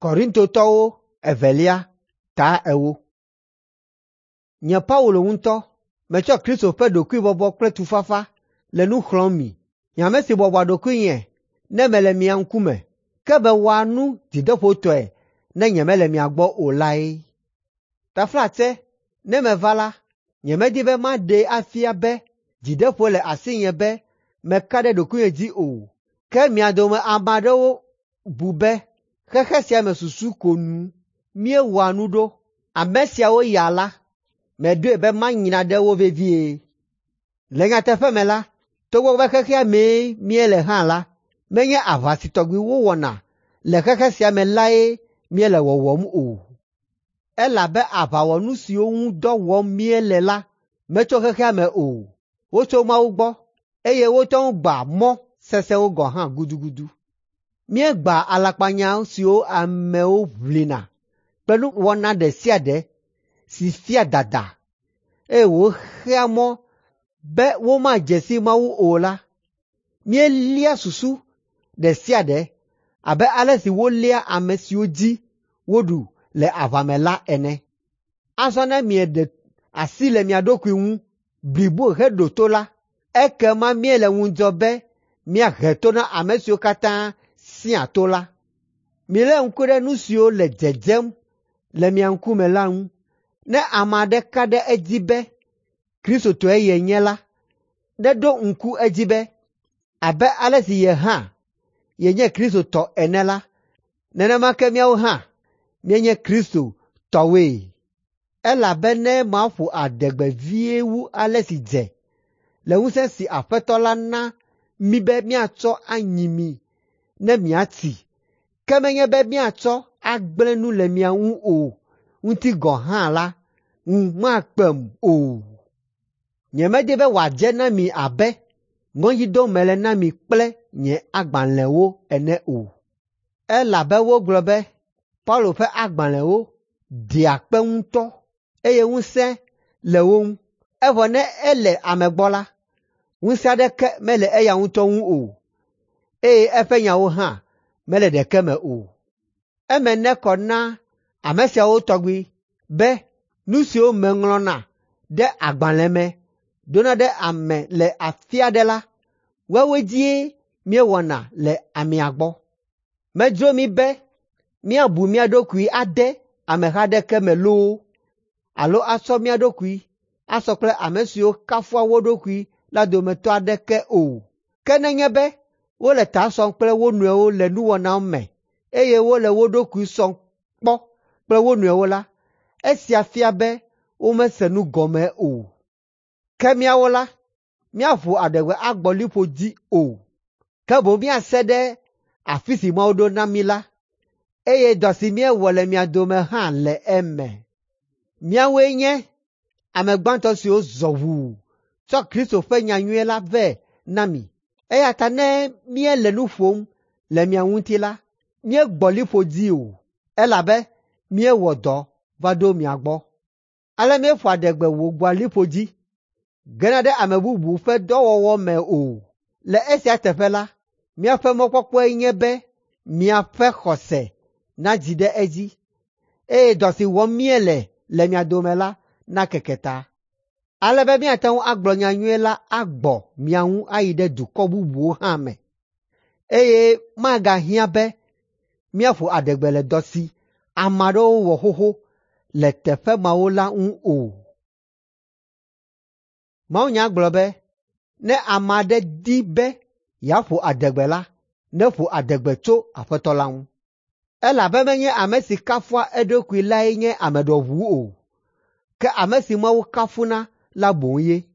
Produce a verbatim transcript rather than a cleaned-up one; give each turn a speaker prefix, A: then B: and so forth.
A: Korintotɔwo evelia ta ewo. Nye Paulo ŋutɔ metsɔ Kristo ƒe ɖokuibɔbɔ kple tufafa le nu xlɔ̃m mi. Nye ame si bɔbɔa ɖokuinye ne mele mia ŋkume, ke mewɔa nu dzideƒotɔe ne nyemele mia gbɔ o lae. Taflatse ne meva la, nyemedi be maɖee afia be dzideƒo le asinye be meka ɖe ɖokuinye dzi o, ke mia dome ame aɖewo bu be xexe sia me susu ko nu míewɔa nu ɖo. Ame siawo ya la, meɖoe be manyra ɖe wo vevie. Le nyateƒe me la, togbɔ be xexea mee míele hã la, menye aʋa si tɔgbi wowɔna le xexe sia me lae míele wɔwɔm o. Elabe aʋawɔnu siwo ŋu dɔ wɔm míele la metso xexea me o. Wotso Mawu gbɔ eye wote ŋu gbã mɔ sesẽwo gɔ̃ hã gudugudu. Míegbã alakpanya siwo amewo ʋlina kple nuwɔna ɖe sia ɖe si fia dada eye wòxea mɔ be womadze si Mawu o la. Míelia susu ɖe sia ɖe abe ale si wolia ame siwo dzi woɖu le aʋa me la ene. Azɔ ne mieɖe asi le mia ɖokui ŋu bliboe heɖo to la, ekema míele ŋudzɔ be míahe to na ame siwo katã sẽa to la. Milé ŋku ɖe nu siwo le dzedzem le mia ŋkume la ŋu. Ne ame aɖe ka ɖe edzi be Kristotɔe yenye la, neɖo ŋku edzi be abe ale si ye hã yenye Kristo tɔ ene la, nenema ke míawo hã míenye Kristo tɔwoe. Elabe ne maƒo adegbe vie wu ale si dze le ŋusẽ si Aƒetɔ la na mí be míatsɔ anyi mi ne miatsi, ke menye be míatsɔ agblẽ nu le mia ŋu o ŋuti gɔ̃ hã la, ŋu makpem o. Nyemedi be wòadze na mi abe ŋɔdzi dom mele na mi kple nye agbalẽwo ene o. Elabe wogblɔ be Paulo ƒe agbalẽwo ɖea kpe ŋutɔ eye ŋusẽ le wo ŋu, evɔ ne ele ame gbɔ la, ŋusẽ aɖeke mele eya ŋutɔ ŋu o, eye eƒe nyawo hã mele ɖeke me o. Eme nekɔ na ame siawo tɔgbi be nu siwo meŋlɔna ɖe agbalẽ me ɖona ɖe ame le afi aɖe la, woawoe dzie míewɔna le amea gbɔ. Medzro mí be míabu mía ɖokui ade ameha aɖeke me loo alo atsɔ mía ɖokui asɔ kple ame siwo kafua wo ɖokui la dometɔ aɖeke o. Ke nenye be wole ta sɔm kple wo nɔewo le nuwɔna me eye wole wo ɖokui sɔm kpɔ kple wo nɔewo la, esia fia be womese nu gɔme o. Ke míawo la, míaƒo adegbe agbɔ liƒo dzi o, ke boŋ míase ɖe afi si Mawu ɖo na mí la, eye dɔ si míewɔ le mia dome hã le eme. Míawoe nye ame gbãtɔ siwo zɔ ʋuu tsɔ Kristo ƒe nyanyui la vɛ na mi. Eya ta ne míele nu ƒom le mia ŋuti la, míegbɔ liƒo dzi o, elabe míewɔ dɔ va ɖo mia gbɔ. Ale míeƒoa adegbe wògbɔa liƒo dzi gena ɖe ame bubu ƒe dɔwɔwɔ me o. Le esia teƒe la, míaƒe mɔkpɔkpɔe nye be miaƒe xɔse nadzi ɖe edzi eye dɔ si wɔm míele le mia dome la nakeke ta, ale be míate ŋu agblɔ nyanyui la agbɔ mia ŋu ayi ɖe dukɔ bubuwo hã me, eye magahiã be míaƒo adegbe le dɔ si ame aɖewo wɔ xoxo le teƒe mawo la ŋu o. Mawunya gblɔ be, ne ame aɖe di be yeaƒo adegbe la, neƒo adegbe tso Aƒetɔ la ŋu. Elabe menye ame si kafua eɖokui lae nye ame ɖɔʋu o, ke ame si Mawu kafuna la boŋ ye.